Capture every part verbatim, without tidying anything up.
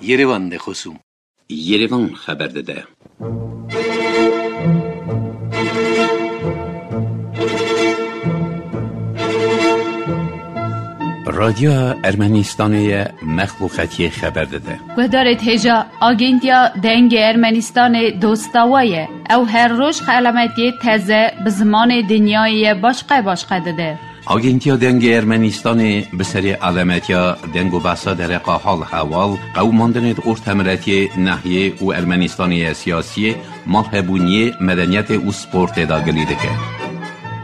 Yerevan de xosûm. Yerevan xeber dide. Radyoya Ermenistanê ye, mexluqetiyê xeber dide. Guhdarê hêja, Agentiya Dengê Ermenistanê dosta we ye. Ew her roj xelametiyê teze bi zimanê dinyayê ye başqe başqe dide. Agentiya Dengê Ermenistanê bi serê alemetiya deng û behsa dereqa hal hewal, qewimandinê di ortemiletiyê, nehiyê û Ermenistanê ye siyasiyê, malhebûniyê, medeniyetê û sportê de gilî dike.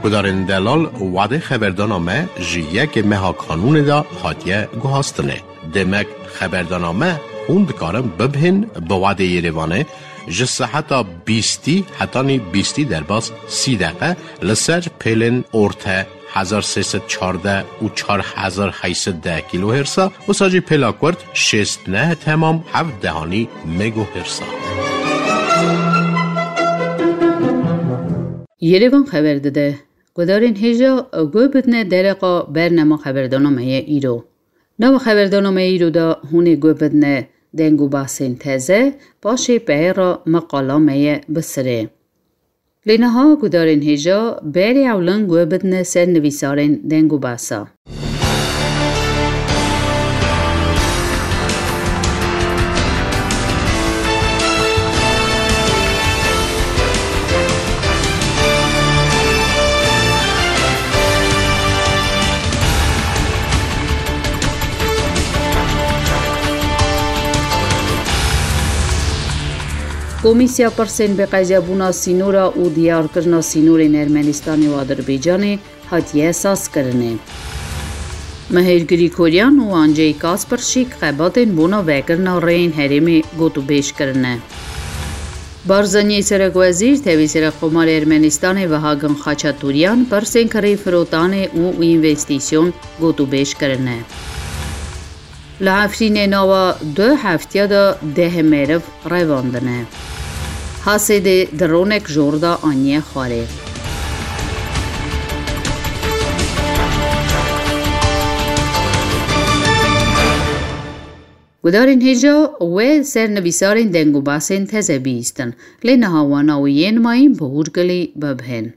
Gudarên delal, wadê xeberdana me ji yekê meha kanûnê de hatiye guhastinê. Demek xeberdana me hûn dikarin bibihên bi wadê Yerevanê ji seheta bîstî hetanî bîstî derbas sî deqe li ser pêlên orte hezar sê sed çardeh û çar hezar heyt sed deh kîlohêrsa, wisa jî pêla kurt şêst neh temam heft dehanî megohêrsa. Yerevan xeber dide. Guhdarên hêja, guh bidine dereqa bernama xeberdana me ye îro. Nava xeberdana me îro de hûn ê guh bidine deng û behsên teze, paşê peyêra meqala me ye bi sirê. Lê niha guhdarên hêja berê ewlin guh bidine ser nivîsarên deng û behsa. Komîsya Pirsên Bêqezebûna Sînora û Diyarkirina Sînorên Ermenistanê û Adirbaycanê hatiye sazkirinê. Mihêr Grîkoryan û Ancey Kasperşîk xebatên bona vekirina rêyên herêmê gotûbêj kirine. Barzaniyê serekwezîr tevî Serokkomarê Ermenistanê Vehagin Xaçatûryan pirsên kirê firotanê û învestîsyon gotûbêj kirine. Li Efrînê nava du heftiya de deh meriv revandine. Hasêdê dronek jor de aniye xwarê. Gudarên hêja we ser nivîsarên deng û behsên teze bihîstin, lê niha wana û yên mayîn bi hûrgilî bibihên.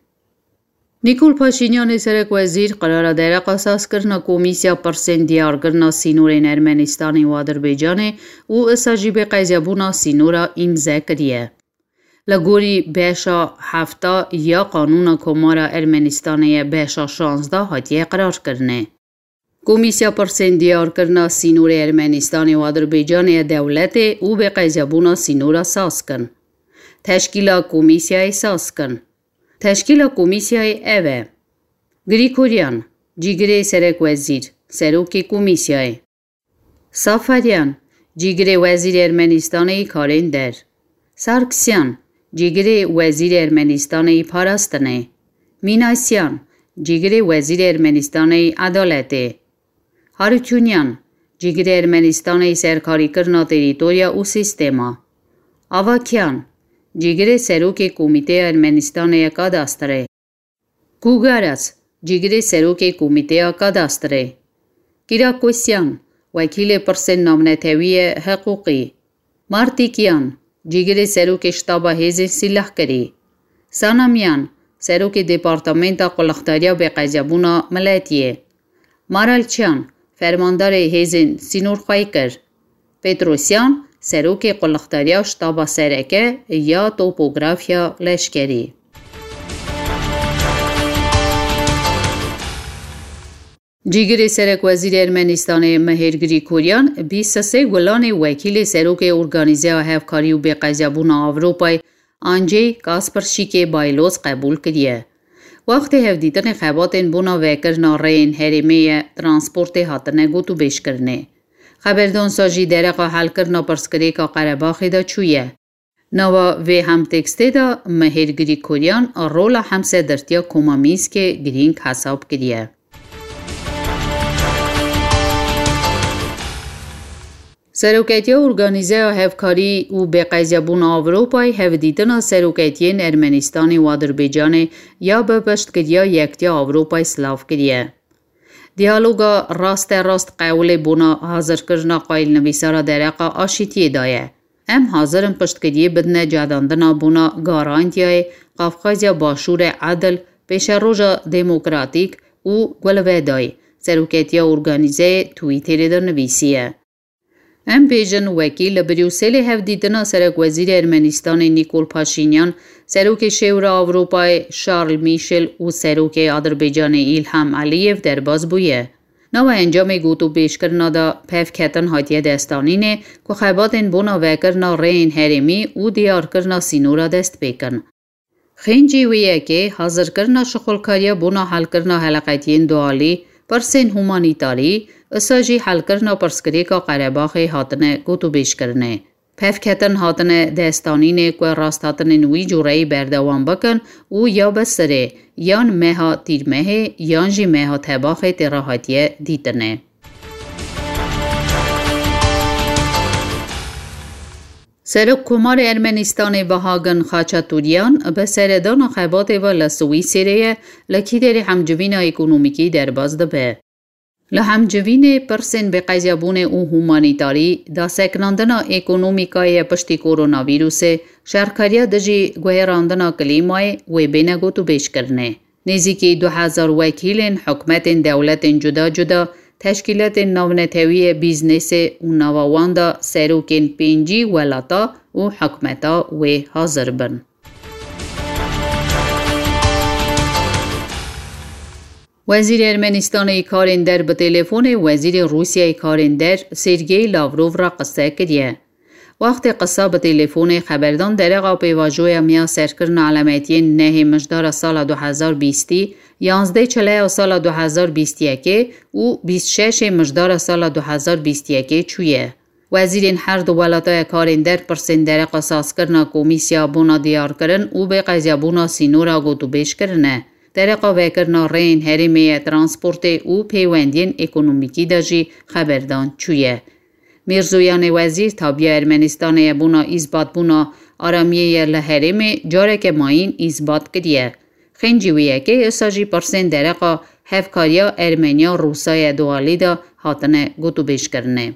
Nîkol Paşînyanê serekwezîr qerara dereqa sazkirina Komîsya Pirsên Diyarkirina Sînorên Ermenistanê û Adirbaycanê û isa jî bêqezebûna sînora îmze kiriye. Li gorî beşa hefta ya Qanûna Komara Ermenistanê ye beşa şazdeh hatiye qerarkirinê. Komîsya Pirsên Diyarkirina Sînorê Ermenistanê û Adirbaycanê ya dewletê û bêqezebûna sînora saz kin. Teşkîla komîsyayê saz kin. Teşkîla komîsyayê ev e: Grîkoryan, cîgirê serekwezîr, serokê komîsyayê. Safaryan, cîgirê wezîrê Ermenistanê yî karên der. Sarkisyan, cîgirê wezîrê Ermenistanê yî parastinê. Mînasyan, cîgirê wezîrê Ermenistanê yî edaletê. Harutyunyan, cîgirê Ermenistanê yî serkarîkirina terîtorya û sîstema. Avakyan, cîgirê serokê Komîteya Ermenistanê ya Kadastrê. Kugaras, cîgirê serokê Komîteya Kadastrê. Kirakosyan, wekîlê pirsên navnetewî ye hiqûqî. Martîkyan, cîgirê serokê Ştaba Hêzên Sîlehkirî. Sanamyan, serokê Departamenta Qulixdariya Bêqezebûna Miletiyê. Maralçyan, fermandarê hêzên sînorxweyîkir. Petrosyan, serokê Qulixdariya Ştaba Sereke ya Topografiya Leşkerî. Cîgirê serekwezîrê Ermenistanê Mihêr Grîkoryan bîst sê Gulanê wekîlê serokê Organîzeya Hevkarî û Bêqezebûna Ewropayê Ancey Kasperşîkê Bayloz qebûl kiriye. Wextê hevdîtinê xebatên bona vekirina rêyên herêmê ye transportê hatine gotûbêjkirinê. Xeberdansa jî dereqa helkirina pirsgirêka Qerebaxê de çûye. Nava vê hemtekstê de Mihêr Grîkoryan rola hemsedirtiya Koma Mînskê girîng hesab kiriye. Seroketiya Organîzeya Hevkarî û Bêqezebûna Ewropayê hevdîtina seroketiyên Ermenistanê û Adirbaycanê ya bi piştgiriya Yektiya Ewropayê silav kiriye. Diyaloga rasterast qewlê bona hazirkirina qayîlnivîsara dereqa aşîtiyê daye. Em hazir in piştgiriyê bidine cedandina bona garantiyayê Qafqazya Başûrê edil, pêşeroja demokratîk û guelvedayî, seroketiya organîzeyê Twitterê de nivîsiye. Em bêjin wekî li Brûselê hevdîtina serekwezîrê Ermenîstanê Nîkol Paşînyan, serokê Şêwra Ewropayê Şarl Mîşel û serokê Adirbaycanê Îlham Eliyev derbas bûye. Nava encamê gotûbêjkirina de pevketin hatiye destanînê ku xebatên bona vekirina rêyên herêmî û diyarkirina sînora dest pê kin. Xêncî wê yekê hazirkirina şixulkariya bona helkirina heleqetiyên dualî, pirsên humanîtarî, isa jî helkirina pirsgirêka Qerebaxê hatine gotûbêjkirinê. Pevketin hatine destanînê ku rasthatinên wî cûreyî berdewam bikin û ya bi sirê yan meha Tîrmehê yan jî meha Tebaxê tê re hatiye dîtinê. Serokkomarê Ermenîstanê Bahagin Xaçatûryan bi seredana xebatê ve li Swîsêrê ye, li Kîderê hemcivîna ekonomîkî derbas dibe. Li hemcivînê pirsên bêqezyabûnê û humanîtarî, daseknandina ekonomîkayê piştî koronavîrusê, şerkariya dijî guherandina klîmayê wê bêne gotûbêjkirinê. Nêzîkî du hezar wekîlên hikûmetên dewletên cuda cuda, teşkîlatên navnetewî yê bîznesê û nava wan de serokên pêncî welata û hikûmeta wê hazir bin. Wezîrê Ermenîstanê yê karên der bi telefonê wezîrê Rûsyayê karên der Sergey Lavrov re qise kiriye. Wextê qisa bi telefonê xeberdan derexa pêvajoya miya serkirina elemetiyên nehê mijdara sala du hezar bîstî, yanzdeh çileya sala du hezar bîst yekê û bîst şeşê mijdara sala du hezar bîst yekê çûye. Wezîrên her du welataya karên der pirsên dereqa sazkirina komîsya bona diyarkirin û bêqezyabûna sînora gotûbêj kirine. Dereqa vekirina rêyên herêmê ye transportê û pêwendiyên ekonomîkî de jî xeberdan çûye. Mîrzoyanê wezîr tabiya Ermenistanê ye bona îzbatbûna aramiyê ye li herêmê careke mayîn îzbat kiriye. Xêncî wê yekê isa jî pirsên dereqa hevkariya Ermeniya Rûsa ye dualî de hatine gotûbêjkirinê.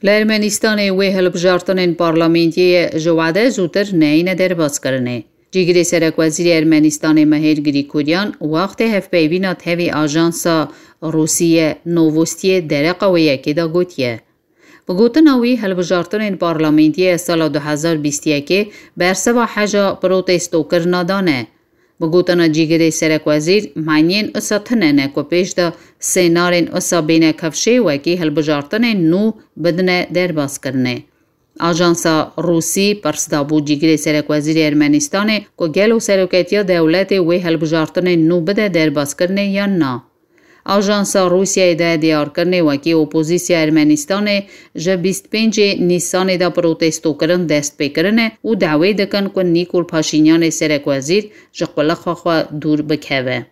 Li Ermenîstanê wê hilbijartinên parlamentiyê ji wade zûtir neyêne derbaskirinê. Cîgirê serekwezîrê Ermenîstanê Mehêr Grîgoryan wextê hevpeyvîna tevî ajansa Rûsî ye Novostiyê dereqa wê yekê de gotiye. Bi gotina wî, hilbijartinên parlamentiyê sala du hezar bîst yekê bersiva heja protestokirina dane. Bi gotina cîgirê serekwezîr, maniyên isa tune ne ku pêş de sênarên isa bêne kevşê wekî hilbijartinên nû bidine derbaskirinê. Ajansa Rûsî pirs dabû cîgirê serekwezîrê Ermenîstanê ku gelo seroketiya dewletê wê hilbijartinên nû bide derbaskirinê yan na. Ajansa Rûsyayê de diyarkirinê wekî opozîsya Ermenîstanê ji bîst pêncê Nîsanê de protestokirin dest pê kirine û dawê dikin ku Nîkol Paşînyanê serekwezîr ji qulixa xwe dûr bikeve.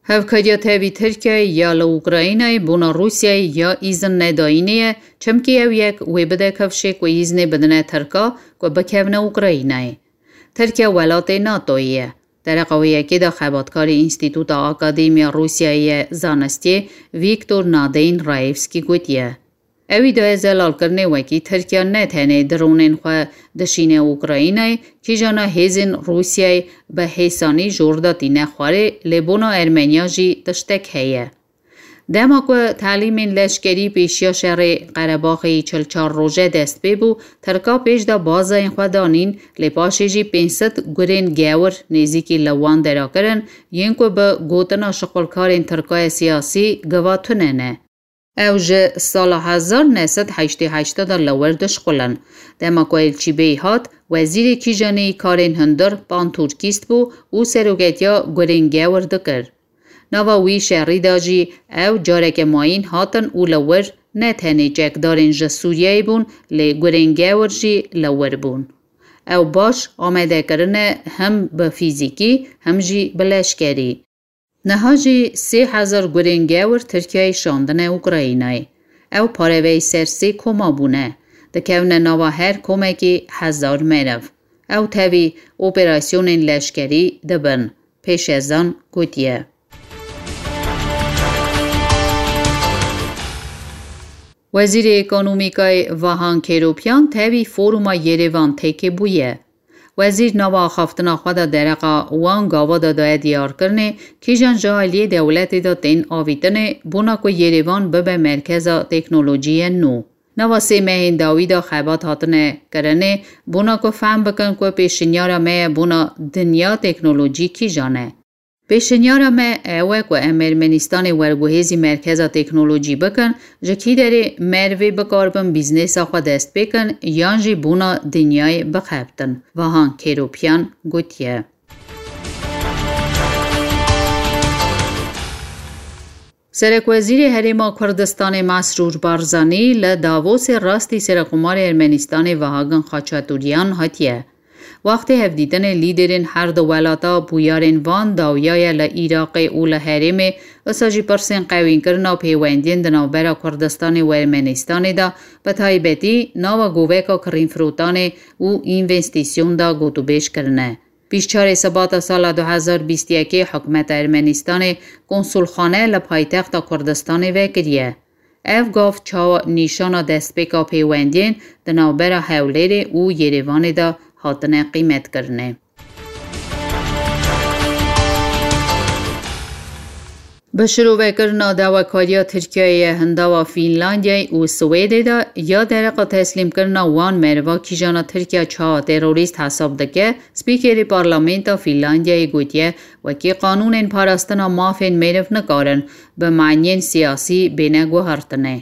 Hevkariya tevî Tirkiyeyê ya li Ukraynayê bona Rûsyayê ya îzin nedayînê ye, çimkî ew yek wê bide kevşê ku îznê bidine Tirka ku bikevne Ukraynayê. Tirkiye welatê NATOyê ye. Dereqa wê yekê de xebatkarê Înstîtuta Akademiya Rûsyayê ye Zanistiyê Vîktor Nadeyîn Raevskî gotiye, ew îdiaya zelalkirinê wekî Tirkiye ne tenê dronên xwe dişîne Ukraynayê, kîjana hêzên Rûsyayê bi hêsanî jor de tîne xwarê, lê bona Ermeniya jî tiştek heye. Dema ku telîmên leşkerî pêşiya şerê Qerebaxê yî çil çar roje dest pê bû, Tirka pêş de bazayên xwe danîn, lê paşê jî pênc sed gurên gewir nêzîkî li wan dera kirin, yên ku bi gotina şixulkarên Tirkayê siyasî giva tune ne. Ew ji sala hezar neh sed heştê heşt de li wir dişixulin. Dema ku Elçî Bey hat, wezîrê kîjanê yî karên hundir, pantûrkîst bû û seroketiya gurên gewir dikir. Nava wî şerî de jî ew careke mayîn hatin û li wir ne tenê çekdarên ji Sûriyeyê bûn, lê gurên gewir jî li wir bûn. Ew baş amade kirine him bi fîzîkî, him jî bi leşkerî. Niha jî sê hezar gurên gewir Tirkiyeyê şandine Ukraynayê. Ew pareveyî ser sê koma bûne. Dikevne nava her komekî hezar meriv. Ew tevî operasyonên leşkerî dibin, Pêşezan gotiye. Wezîrê Ekonomîkayê Vahan Kêropyan tevî foruma Yerêvan têkê bûye. Wezîr nava axaftina xwe de dereqa wan gava de daye diyarkirinê, kîjan ji aliyê dewletê de tên avîtinê, bona ku Yerêvan bibe merkeza teknolojiyê nû. Nava sê mehên dawî de xebat hatine kirinê, bona ku fehm bikin ku pêşinyara me ye bona dinya teknolojî kîjan e. Pêşinyara me ew e ku em Ermenîstanê werguhêzî merkeza teknolojî bikin, ji kî derê merivê bikaribin bîznesa xwe dest pê kin yan jî bona dinyayê bixebtin, Vahan Kêropyan gotiye. Serekwezîrê Herêma Kurdistanê Mesrûr Barzanî li Davosê rastî Serekomarê Ermenîstanê Vahagin Xaçatûryan hatiye. Wextê hevdîtinê lîderên her du welata bûyarên van dawiya ye li Iraqê û li herêmê, wisa jî pirsên qewînkirina pêwendiyên di navbera Kurdistanê û Ermenîstanê de, bi taybetî nava goveka kirînfirotanê û învestîsyon de gotûbêj kirine. Bîst çarê Sibata sala du hezar bîst yekê hikûmeta Ermenîstanê konsulxane li paytexta Kurdistanê vekiriye. Ev gav çawa nîşana destpêka pêwendiyên di navbera Hewlêrê û Yerêvanê de hatine qîmetkirinê. Bi şirovekirina dawekariya Tirkiyeyê ye hindava Fînlandiyayê û Swêdê de ya dereqa teslîmkirina wan meriva kîjana Tirkiye çawa terorîst hesab dike, Spîkerê Parlamenta Fînlandiyayê gotiye, wekî qanûnên parastina mafên meriv nikarin bi maniyên siyasî bêne guhertinê.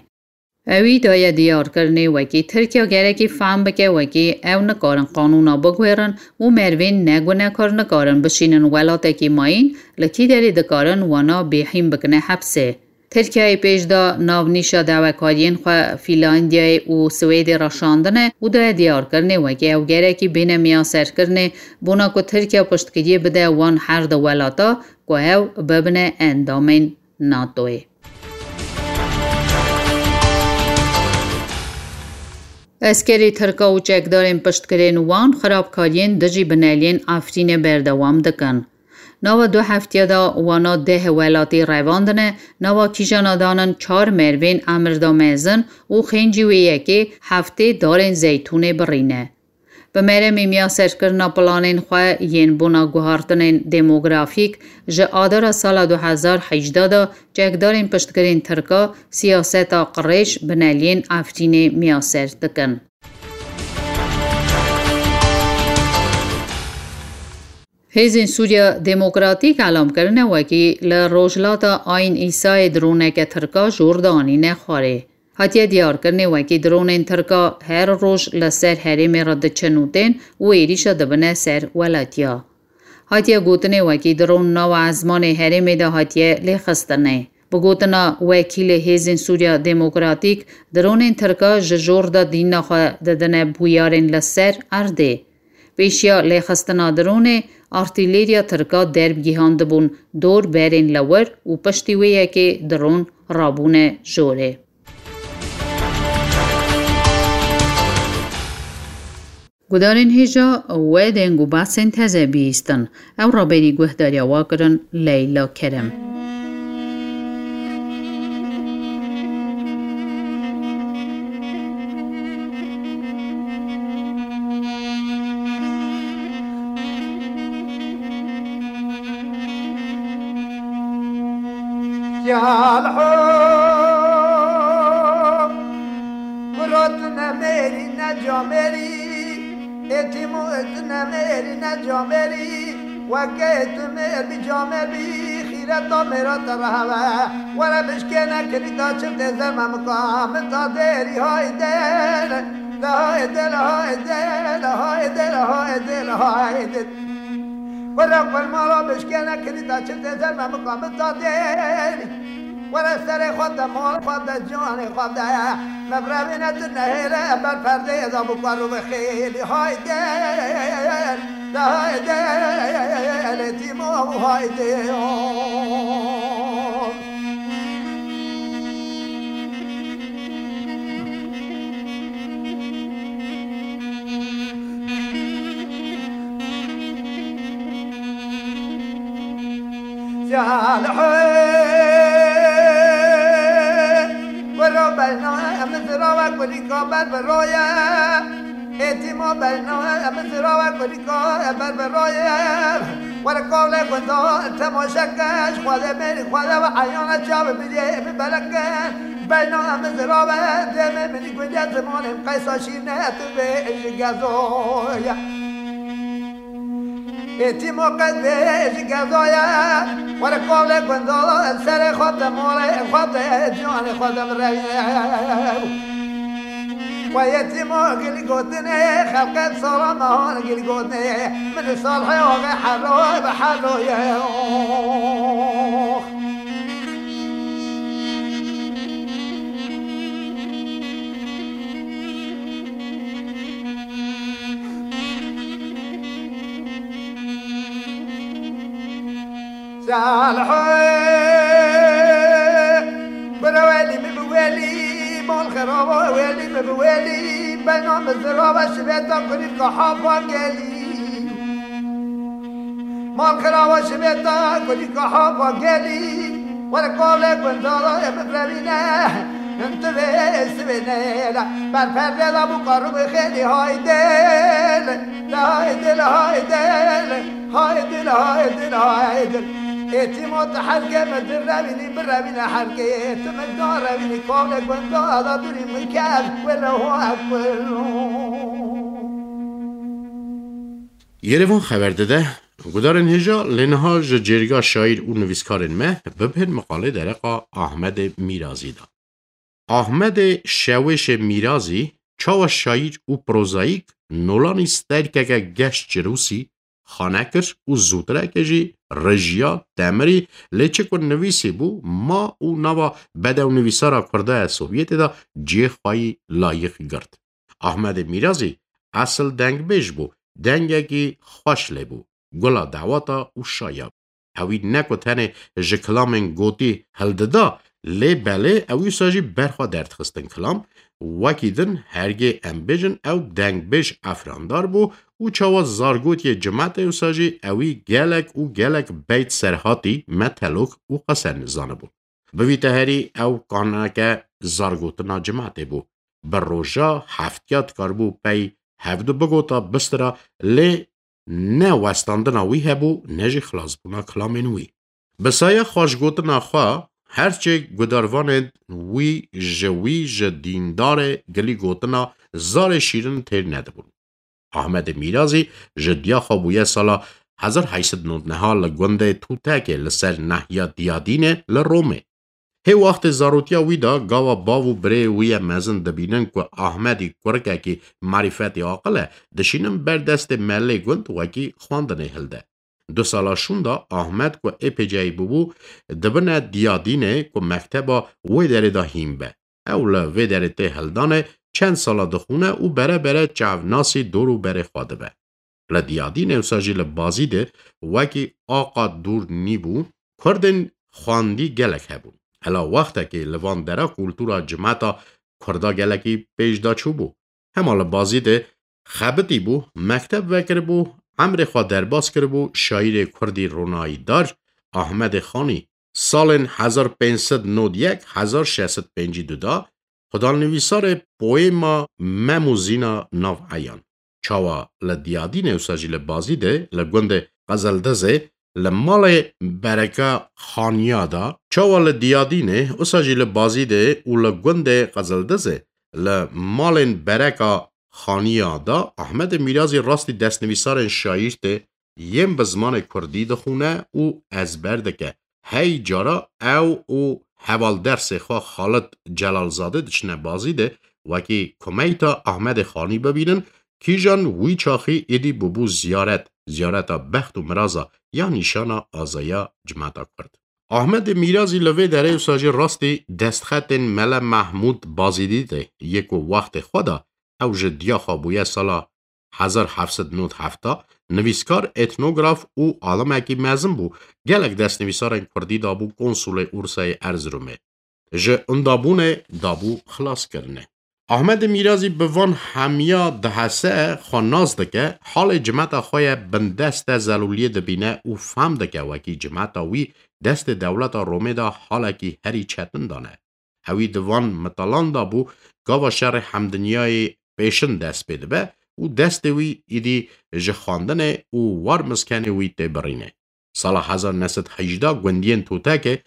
Ewî daye diyarkirinê wekî Tirkiye gerekî fehm bike wekî ew nikarin qanûna biguherin û merivên negunekar nikarin bişînin welatekî mayîn, li kî derê dikarin wana bêhîn bikine hepsê. Tirkiyeyê pêş da navnîşa dawekariyên xwe Fînlandiyayê û Swêdê re şandine û daye diyarkirinê wekî ew gerekî bêne miyaserkirinê, bona ku Tirkiye piştgiriyê bide wan her du welata ku ew bibine endamên NATOyê. Eskerê Tirka û çekdarên piştgirên wan xirabkariyên dijî bineliyên Efrînê berdewam dikin. Nava du heftiya de wana deh welatî revandine, nava kîjana danin çar mervên emirda mezin û xêncî wê yekê heftê darên zeytûnê birîne. Bi meremê miyaserkirina planên xwe yên bona guhartinên demografîk, ji Adara sala du hezar hejdeh de çekdarên piştgirên Tirka siyaseta qirêj bineliyên Efrînê miyaser dikin. Hêzên Sûriya Demokratîk elam kirine wekî li Rojhilata Ayn Îsayê droneke Tirka jor danîne xwarê. Hatiye diyarkirinê wekî dronên Tirka her roj li ser herêmê re diçin û tên û êrîşa dibine ser welatiya. Hatiye gotinê wekî dron nava ezmanê herêmê de hatiye lêxistinê. Bi gotina wekîlê Hêzên Sûriya Demokratîk, dronên Tirka ji jor de dîna xwe didine bûyarên li ser erdê. Pêşiya lêxistina dronê, artîleriya Tirka derb gihandibûn dor berên li wir û piştî wê yekê dron rabûne jorê. Gudarên hêja we deng û behsên teze bihîstin. Ew raberî guhdariya we kirin Leyla Kerem. Yalho, kurat ne mêrî ne camêrî, êtîmo et ne mêrî ne camêrî, weke tu mêr bî camêr bî, xîreta mêra te reheve. Were bişkêne kilîta çiftê zerme mika, min ta dêrî hayde, le hayde, le hayde, le hayde, le hayde, le hayde. Were xwe mala bişkêne kilîta çiftê zerme mika, min ta dêrî. Were serê xwe de, malê xwe de, canê xwe de. Mebrevîne tu nehêle, ber perdeyê de bikar û vexêlî. Hayde, de hayde, lê tîmo hayde. Wero beyna em zirava kulîka ber bi roye. Êtîmo beyna em zirava kulîka ber bi roye. Were kavlê gunda temaşe ke, ji xwedê mêrî xwedê ve eyana çav birê bi beleke. Beyna em zirava demê min gundê zimanê qeysa şîne tu bê ji gezoye. Êtîmo qet bê ji gezoye, were kavlê gundala serê xwe de malê xwe de ciwanê xwe de birevîne. Xwe yetîmo gilî gotinê, xelqê sala mehan gilî gotinê, min li salhê oxê hero bi hero ye. Salih, bira welî min bi welî, mal xeraba welî min bi welî, beyna min zirava şibêta kulî kaha van gelî. Mal xeraba şibêta kulî kaha van gelî, were kavlê gundala ye min revîne, tu vê sivê nêle, ber perde da bû karu bi xêlî haydê le, haydê le, haydê le. Haydin, haydin, haydin. Êtîmo tu herkê min din revînî, birevîne herkê. Tu min da revînî, kavlê gunda da durî min kev, wele ho ev welo. Yerevan xeber dide, gudarên hêja lê niha ji cêrga şaîr û nivîskarên me bibihên miqalê dereqa Ahmedê Mîrazî de. Ahmedê Şewêşê Mîrazî çawa şaîr û prozayîk nolanî sterkeke geş çirûsî xane kir û zûtireke jî rijiya, demirî, lê çi ku nivîsî bû, ma û nava bedewnivîsara Kurda ya Sovyetê de cihê xwe yî layîq girt. Ahmedê Mîrazî esil dengbêj bû, dengekî xweş lê bû, gula dawata û şaya. Ewî ne ku tenê ji kilamên gotî hildida, lê belê ewî wisa jî ber xwe derdixistin kilam. Wekî din hergê em bêjin ew dengbêj efrandar bû û çawa zargotiyê cimetê wisa jî ewî gelek û gelek beyt serhatî me telok û qesen zanibû. Bi vî teherî ew kaneke zargotina cimetê bû. Bi roja heftiya dikaribû pey hevdu bigota bistira, lê ne westandina wî hebû, ne jî xilasbûna kilamên wî. Bi saya xweşgotina xwe, her çê gudarvanên wî ji wî ji dîndarê gilî gotina zarê şîrin têr nedibûn. Ahmedê Mîrazî ji diya xwe bûye sala hezar heyt sed nod neha li gundê Tûtekê li ser nehiya Diyadînê li Romê. Hê wextê zarotiya wî de gava bav û birê wî ye mezin dibînin ku Ahmedî kurikekî marîfetî aqil e, dişînin ber destê melê gund wekî xwendinê hilde. Du sala şûnda Ahmed ku êpêceyî bûbû, dibine Diyadînê ku mekteba wê derê de hîn be. Ew li vê derê tê hildanê, çend sala dixwîne û bere bere çavnasî dor û berê xwe dibe. Li Diyadînê wisa jî li Bazîdê wekî aqa dûr nîbû, Kurdên xwendî gelek hebûn. Hela wextekê li van dera kultura cimeta Kurda gelekî pêş de çûbû. Hema li Bazîdê xebitî bû, mekteb vekiribû, emrê xwe derbas kiribû şaîrê Kurdî ronayîdar Ahmedê Xanî. Salên hezar pênc sed nod yek hezar şeş sed pêncî du de xwedanivîsarê poêma Mem û Zîna Nav Eyan. Çawa li Diyadînê wisa jî li Bazîdê, li gundê Qizildizê, li malê Bereka Xaniya de, çawa li Diyadînê wisa jî li Bazîdê û li gundê Qizildizê, li malên Bereka Xaniya de Ahmedê Mîrazî rastî destnivîsarên şaîr tê yên bi zimanê kurdî dixwîne û ezber dike. Hey cara ew û hevaldersê xwe Xalid Celalzade diçine Bazîdê, wekî kumeyta Ahmedê Xanî bibînin, kîjan wî çaxî êdî bûbû ziyaret, ziyareta bext û miraza ya nîşana azaya cimeta Kurd. Ahmedê Mîrazî li vê derê wisa jî rastî destxetên Mele Mehmûd Bazîdî de yê ku wextê xwe de ew ji diya xwe bûye sala hezar heft sed nod heft nivîskar, etnograf û alimekî mezin bû, gelek destnivîsarên kurdî dabû konsulê Ursayê Erziromê. Ji indabûnê dabû xilaskirine. Ahmedê Mîrazî bi van hemiya dihese, xwe nas dike, halê cimeta xwe ye bindest e, zelûliyê dibîne û fehm dike wekî cimeta wî destê dewleta Romê de halekî herî çetin dane. Ewî di van mitalan de bû, gava şerê hemdinyayê pêşin dest pê dibe û destê wî îdî ji xwendinê û war miskenê wî tê birînê. Sala hezar neh sed hejdeh gundiyên Tutekê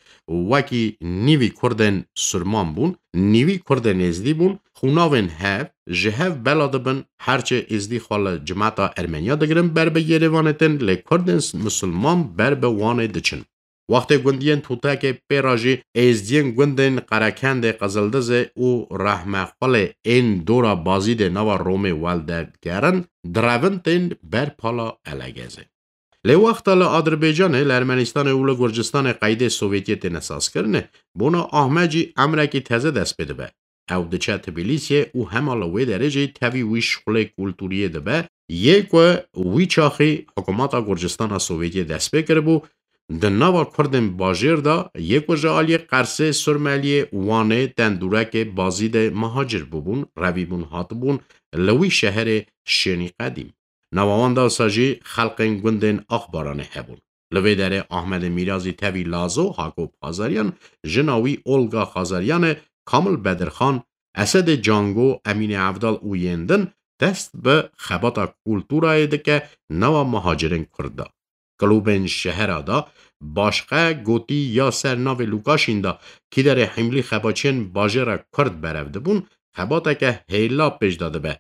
wekî nîvî Kurdên Surman bûn, nîvî Kurdên Êzdî bûn, xûnavên hev ji hev bela dibin, herçê Êzdî xwe li cimeta Ermeniya digirin ber bi Yerêvanê tên, lê Kurdên Misilman ber bi Wanê diçin. Wextê gundiyên Tutekê pê re jî Êzdiyên gundên Qerekendê, Qizildizê û Rehmexwelê ên dora Bazîdê nava Romê weldegerin, direvin tên ber pala Elegezê. Lê wexta li Adirbaycanê, li Ermenistanê û li Gurcistanê qeydê Sovyetiyê têne sazkirinê, bona Ahmed jî emrekî teze dest pê dibe. Ew diçe Tbilîsiyê û hema li wê derê jî tevî wî şixulê kulturiyê dibe, yê ku wî çaxî hikûmeta Gurcistana Sovyetiyê dest pê kiribû, di nava Kurdên bajêr de yê ku ji aliyê Qersê, Surmeliyê, Wanê, Tendûrekê, Bazîdê mihacir bûbûn, revîbûn hatibûn li wî şeherê Şênî Qedîm. Nava wan de wisa jî xelqên gundên Axbaranê hebûn. Li vê derê Ahmedê Mîrazî tevî Lazo, Hakop Xazariyan, jina wî Olga Xazariyan e, Kamil Bedirxan, Esedê Cango, Emînê Evdal û yên din dest bi xebata kulturayê dike nava muhacirên Kurd de. Klûbên şehera de başqe gotî ya ser navê Lukaşîn de kîderê hîmlî xebatçiyên bajêra Kurd berev dibûn, xebateke hêla pêş de dibe.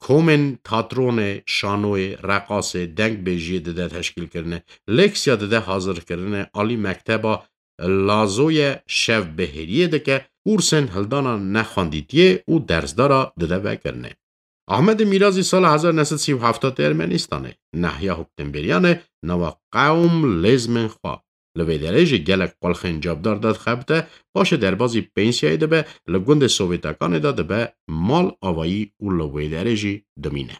Komên tatronê, şanoyê, reqasê, dengbêjiyê dide teşkîlkirinê, leksiya dide hazirkirinê, alî mekteba Lazoye şev bihêriyê dike, kursên hildana nexwendîtiyê û dersdara dide vekirinê. Ahmedê Mîrazî sala hezar neh sed sî û heft tê Ermenistanê, nehiya hokdemberiyan e, nava qewm lêzmên xwe. Li vê derê jî gelek qulxên cevdar de dixebite, paşê derbazî pensiyayê dibe, li gundê Sovyetekanê de dibe mal avayî û li wê derê jî dimîne.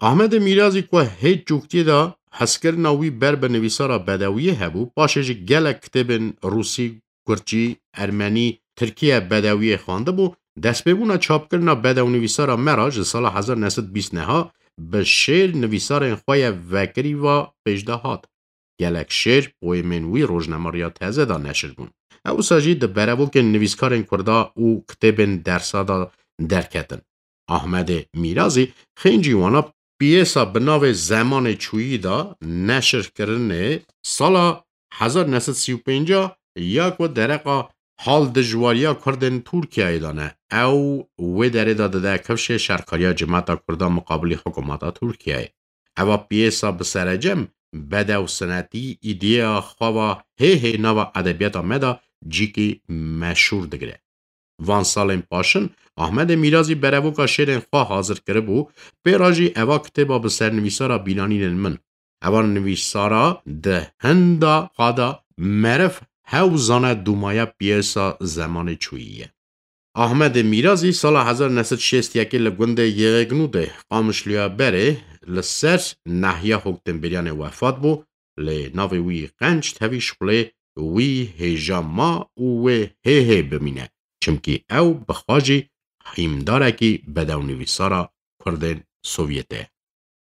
Ahmedê Mîrazî ku hêj çûktiyê de hezkirina wî ber bi nivîsara bedewiyê hebû, paşê jî gelek kitêbên rûsî, kurçî, ermenî, tirkî ye bedewiyê xwendibû, destpêbûna çapkirina bedewnivîsara me re ji sala hezar neh sed bîst neha bi şêr nivîsarên xwe ye vekirî ve pêş de hat. Gelek şêr, poemên wî rojnameriya teze de neşir bûn. Ew wisa jî di berevokên nivîskarên Kurda û kitêbên dersa de derketin. Ahmedê Mîrazî xêncî wana piyesa bi navê Zemanê Çûyî de neşirkirinê sala hezar neh sed sî û pênc ya ku dereqa hal dijwariya Kurdên Tirkiyeyê de ne. Ew wê derê de dide kifşê şerkariya cimata Kurda miqabilî hikûmeta Tirkiyeyê. Eva piyesa bi serecem bedew sinetî îdeya xwe va hê hê nava edebiyata me de cîkî meşhûr digire. Van salên paşin Ahmedê Mîrazî berevoka şêrên xwe hazir kiribû, pê re jî eva kitêba bi sernivîsara Bînanînên Min. Eva nivîsara di hinda xwe de meriv hew zane dûmaya piyesa Zemanê Çûyî ye. Ahmedê Mîrazî sala hezar neh sed şêst yekê li gundê Yêgnu de Qamişloya Berê li ser nehiya hokdemberiyanê wefat bû, lê navê wî qenc tevî şixulê wî hêja ma û wê hê hê bimîne, çimkî ew bi xwe jî hîmdarekî bedewnivîsara Kurdên Sovyetê ye.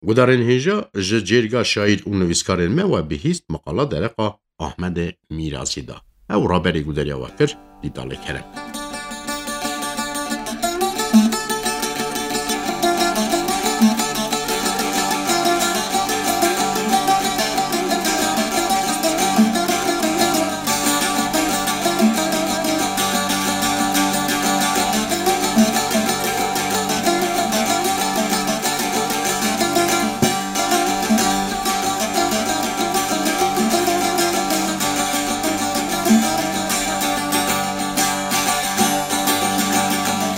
Gudarên hêja ji cêrga şaîr û nivîskarên me we bihîst, miqala dereqa Ahmedê Mîrazî da. Ew raberî gudariya we kir, Dîtalê Kerem.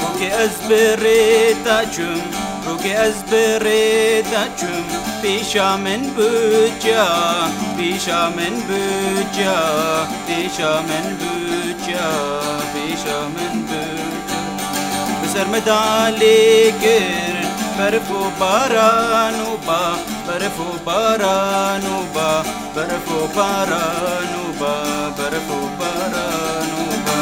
Rokê ez bi rê te çûm, rokê ez bi rê te çûm, pêşa min bû ca, pêşa min bû ca, pêşa min bû ca, pêşa min bû ca. Bi ser me dalê kir, berf û baran û ba, berf û baran û ba, berf û baran û ba, berf û baran û ba.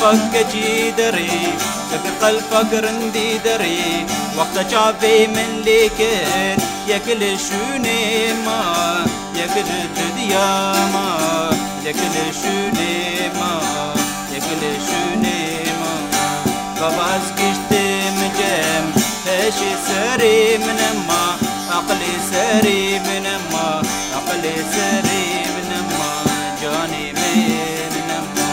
Fak keçî derê, yek qelfak rindî derê, wexta çavê min lê kir, yek li şûnê ma, yek ji didiya ma, yek li şûnê ma, yek li şûnê ma. Baba ez giştim cem, heşê serê min ma, aqilê serê min ma, aqilê serê min ma, canê min ma.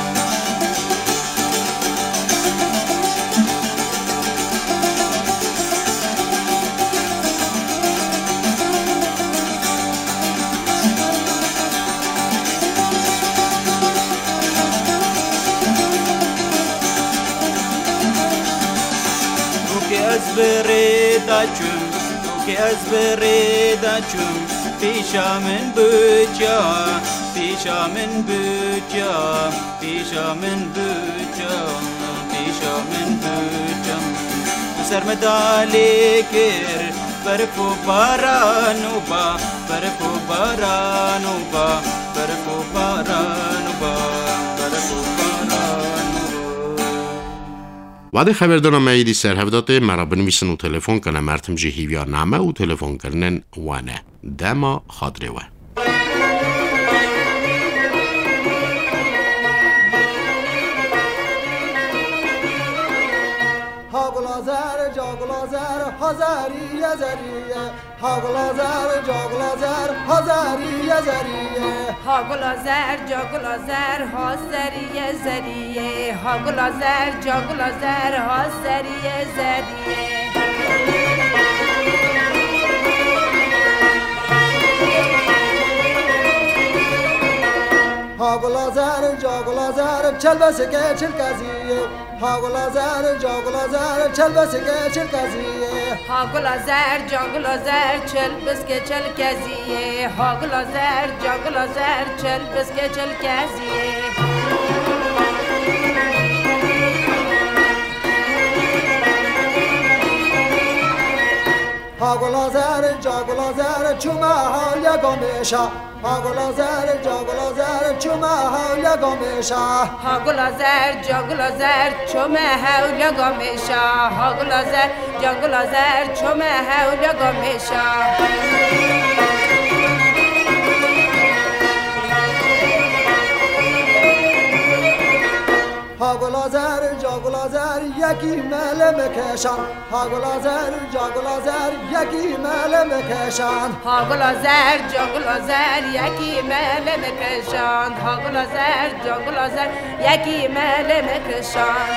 Rûkê ez bi rê de çûm, rûkê ez bi rê de çûm, pîşa min bûçiya, pîşa min bûçiya. Pîşa min bûçe, pîşa min bûçe. Ser me dalê kir, berf û baran û ba, berf û baran û ba, berf û baran û ba, berf û baran û ba. Wadê xeberdana me êdî ser hev datê, me re binivîsin û telefon kene, mertim jî hîviya name û telefonkirinên we ne. Dema xatirê we. Ha gula zer, ca gula zer, ha zerî ye zerî ye. Ha gula zer, ca gula zer, ha zerî ye zerî ye. Ha gula zer, ca gula zer, ha zerî ye zerî ye. Ha gula zer, ca gula zer, ha zerî ye zerî ye. Ha gula zer, ca gula zer, çelbesike çilkezî ye. Ha gula zer, ca gula zer, çelbesike çilkezî ye. Ha gula zer, ca gula zer, çelbesike çilkezî ye. Ha gula zer, ca gula zer, çelbesike çilkezî ye. Ha gula zer, ca gula zer, çûme hewliya gamêşa. Ha gula zer, ca gula zer, çûme hewliya gamêşa. Ha gula zer, ca gula zer, çûme hewliya gamêşa. Ha gula zer, ca gula zer, çûme hewliya gamêşa. Ha gula zer, ca gula zer, yekî mele me keşan. Ha gula zer, ca gula zer, yekî mele me keşan. Ha gula zer, ca gula zer, yekî mele me keşan. Ha gula zer, ca gula zer, yekî mele me keşan.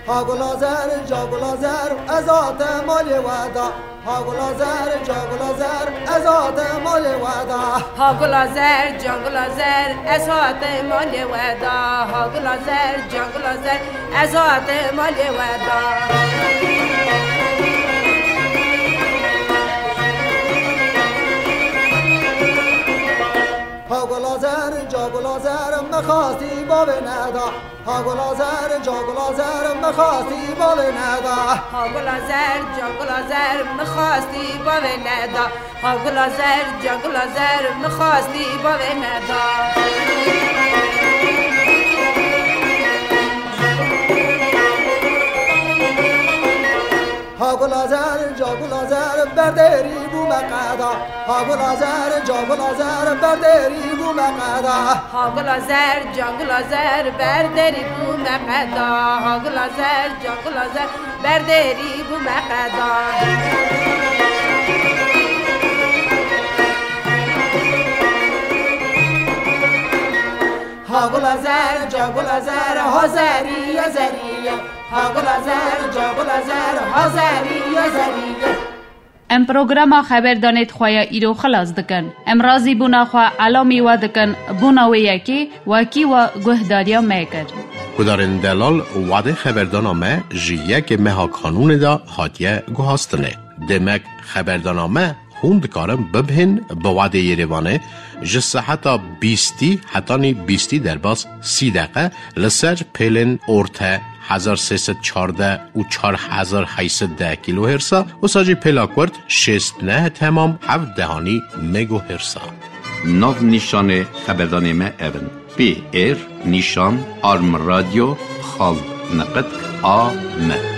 Ha gula zer, ca gula zer, ez hate malê we da. Ha gula zer, ca gula zer, ez hate malê we da. Ha gula zer, ca gula zer, ez hate malê we da. Ha gula zer, ca gula zer, ez hate malê we da. Ha gula zer, ca gula zer, me xastî bavê neda. Ha gula zer, ca gula zer, me xastî bavê neda. Ha gula zer, ca gula zer, me xastî bavê neda. Ha gula zer, ca gula zer, me xastî bavê neda. Ha gula zer, ca gula zer, berderî bû me qeda. Ha gula zer, ca gula zer, berderî bû me qeda. Ha gula zer, ca gula zer, berderî bû me qeda. Ha gula zer, ca gula zer, berderî bû me qeda. Ha gula zer, ca gula zer, ha zerî ye zerî ye. Ha gula zer, ca gula zer, ha zerî ye zerî ye. Em programa Xeberdanê di xwe ya îro xilas dikin. Em razîbûna xwe elamî we dikin, bona wê yekê wekî we guhdariya me kir. Guhdarên delal, wadê xeberdana me ji yekê meha Kanûnê de hatiye guhastinê. Demek xeberdana me Hûn dikarin bibihên bi wadê Yerêvanê ji seheta bîstî hetanî bîstî derbas sî deqe li ser pêlên orte hezar sê sed çardeh û çar hezar heyt sed deh kîlohêrsa, wisa jî pêla kurt şêst neh temam heft dehanî megohêrsa. Nav nîşanê xeberdanê me ev in: P R nîşan arm radyo xal neqet A M.